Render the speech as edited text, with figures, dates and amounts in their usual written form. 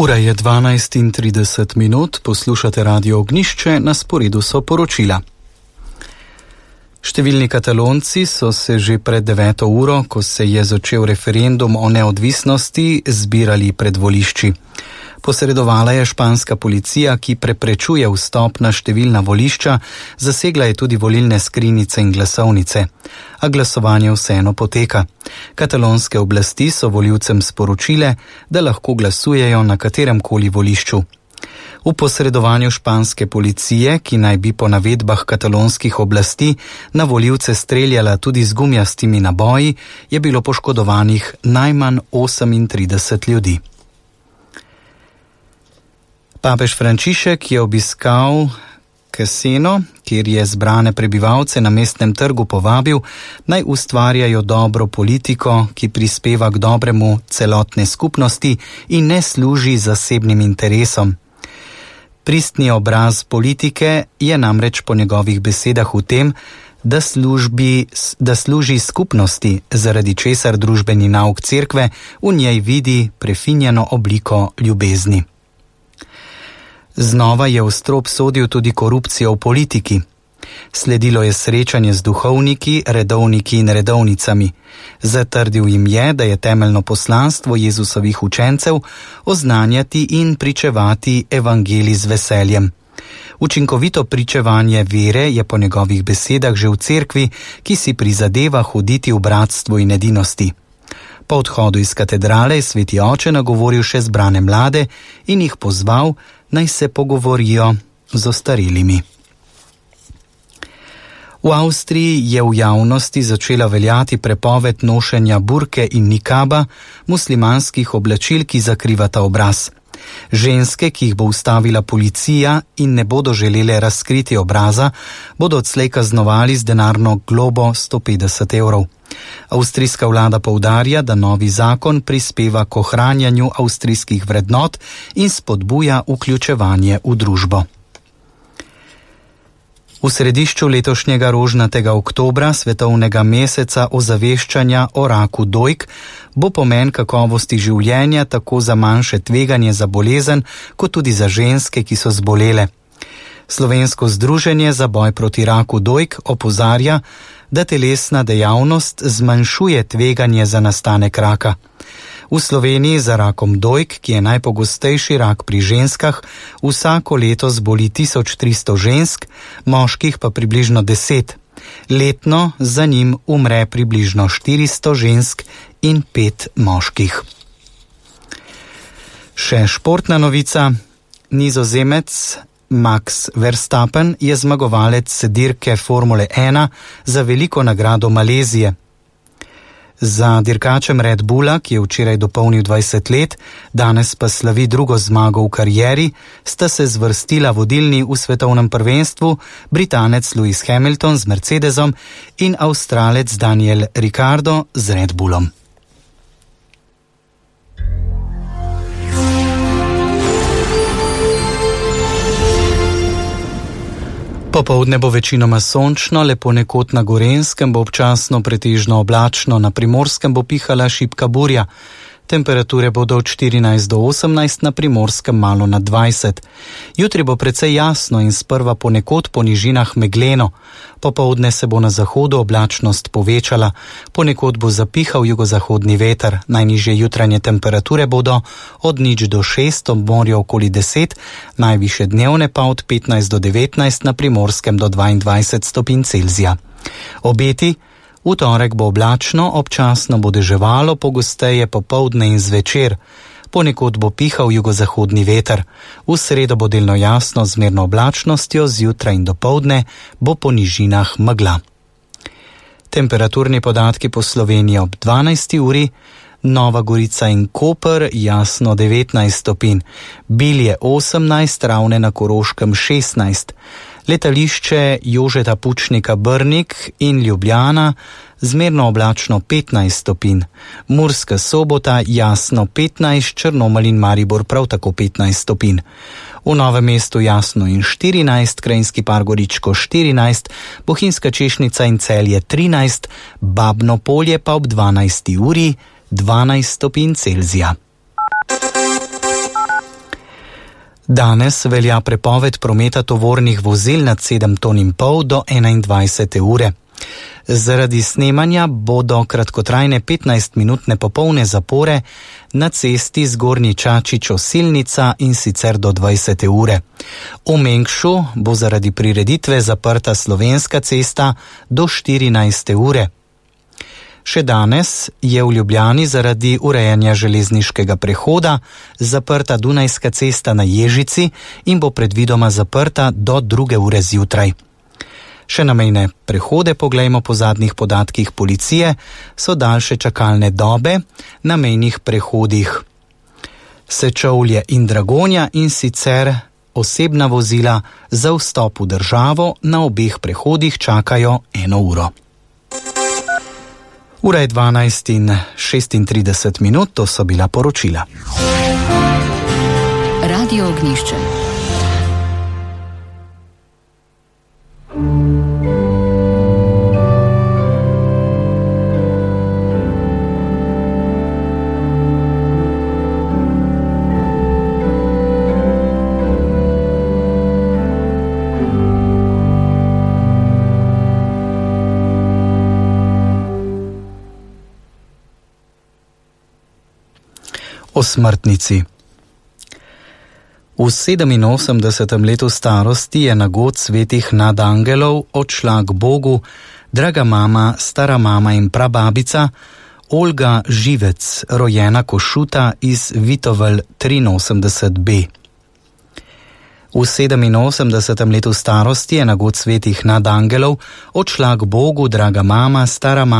Ura je 12:30, poslušate Radio Ognjišče, na sporedu so poročila. Številni Katalonci so se že pred 9. uro, ko se je začel referendum o neodvisnosti, zbirali pred volišči. Posredovala je španska policija, ki preprečuje vstop na številna volišča, zasegla je tudi volilne skrinjice in glasovnice. A glasovanje vseeno poteka. Katalonske oblasti so volivcem sporočile, da lahko glasujejo na kateremkoli volišču. V posredovanju španske policije, ki naj bi po navedbah katalonskih oblasti na volivce streljala tudi z gumijastimi naboji, je bilo poškodovanih najmanj 38 ljudi. Papež Frančišek je obiskal Caseno, kjer je zbrane prebivalce na mestnem trgu povabil, naj ustvarjajo dobro politiko, ki prispeva k dobremu celotne skupnosti in ne služi zasebnim interesom. Pristni obraz politike je namreč po njegovih besedah v tem, da služi skupnosti, zaradi česar družbeni nauk cerkve v njej vidi prefinjeno obliko ljubezni. Znova je v strop sodil tudi korupcijo v politiki. Sledilo je srečanje z duhovniki, redovniki in redovnicami. Zatrdil jim je, da je temeljno poslanstvo Jezusovih učencev oznanjati in pričevati evangelij z veseljem. Učinkovito pričevanje vere je po njegovih besedah že v cerkvi, ki si prizadeva hoditi v bratstvu in edinosti. Po odhodu iz katedrale je sveti oče nagovoril še zbrane mlade in jih pozval, naj se pogovorijo z ostarelimi. V Avstriji je v javnosti začela veljati prepoved nošenja burke in nikaba, muslimanskih oblačil, ki zakrivata obraz. Ženske, ki jih bo ustavila policija in ne bodo želele razkriti obraza, bodo odslej kaznovali z denarno globo 150 evrov. Avstrijska vlada poudarja, da novi zakon prispeva k ohranjanju avstrijskih vrednot in spodbuja vključevanje v družbo. V središču letošnjega rožnatega oktobra, svetovnega meseca ozaveščanja o raku dojk, bo pomen kakovosti življenja tako za manjše tveganje za bolezen, kot tudi za ženske, ki so zbolele. Slovensko združenje za boj proti raku dojk opozarja, da telesna dejavnost zmanjšuje tveganje za nastanek raka. V Sloveniji za rakom dojk, ki je najpogostejši rak pri ženskah, vsako leto zboli 1300 žensk, moških pa približno 10. Letno za njim umre približno 400 žensk in 5 moških. Še športna novica. Nizozemec Max Verstappen je zmagovalec dirke Formule 1 za veliko nagrado Malezije. Za dirkačem Red Bulla, ki je včeraj dopolnil 20 let, danes pa slavi drugo zmago v karieri, sta se zvrstila vodilni v svetovnem prvenstvu, Britanec Lewis Hamilton z Mercedesom in Avstralec Daniel Ricciardo z Red Bullom. Popoldne bo večinoma sončno, le ponekod na Gorenjskem bo občasno pretežno oblačno, na Primorskem bo pihala šibka burja. Temperature bodo od 14 do 18, na Primorskem malo nad 20. Jutri bo precej jasno in sprva ponekod po nižinah megleno. Popoldne se bo na zahodu oblačnost povečala, ponekod bo zapihal jugozahodni veter. Najnižje jutranje temperature bodo od 0 do 6, ob morju okoli 10, najvišje dnevne pa od 15 do 19, na Primorskem do 22 stopinj Celzija. Obeti: v torek bo oblačno, občasno bo deževalo, pogosteje popoldne in zvečer. Ponekod bo pihal jugozahodni veter. V sredo bo delno jasno z zmerno oblačnostjo, zjutraj in dopoldne bo po nižinah megla. Temperaturni podatki po Sloveniji ob 12. uri. Nova Gorica in Koper jasno 19 stopinj, Bilje 18, Ravne na Koroškem 16. Letališče Jožeta Pučnika Brnik in Ljubljana zmerno oblačno 15 stopinj, Murska Sobota jasno 15, Črnomelj in Maribor prav tako 15 stopinj. V Novem mestu jasno in 14, Krajinski par Goričko 14, Bohinjska Češnica in Celje 13, Babno Polje pa ob 12. uri 12 stopinj Celzija. Danes velja prepoved prometa tovornih vozil nad 7,5 ton do 21. ure. Zaradi snemanja bodo kratkotrajne 15-minutne popolne zapore na cesti Zgornji Čačič-Osilnica in sicer do 20. ure. V Mengšu bo zaradi prireditve zaprta Slovenska cesta do 14. ure. Še danes je v Ljubljani zaradi urejanja železniškega prehoda zaprta Dunajska cesta na Ježici in bo predvidoma zaprta do 2. ure zjutraj. Še na mejne prehode, poglejmo po zadnjih podatkih policije, so daljše čakalne dobe na mejnih prehodih Sečovlje in Dragonja, in sicer osebna vozila za vstop v državo na obeh prehodih čakajo 1 uro. Ura je 12:36, to so bila poročila. Radio Ognjišče. O smrtnici. V 87. letu starosti je na god svetih nadangelov odšla k Bogu draga mama, stara mama in prababica Olga Živec, rojena Košuta iz Vitovelj 83b. V 87. letu starosti je na god svetih nadangelov odšla k Bogu draga mama, stara mama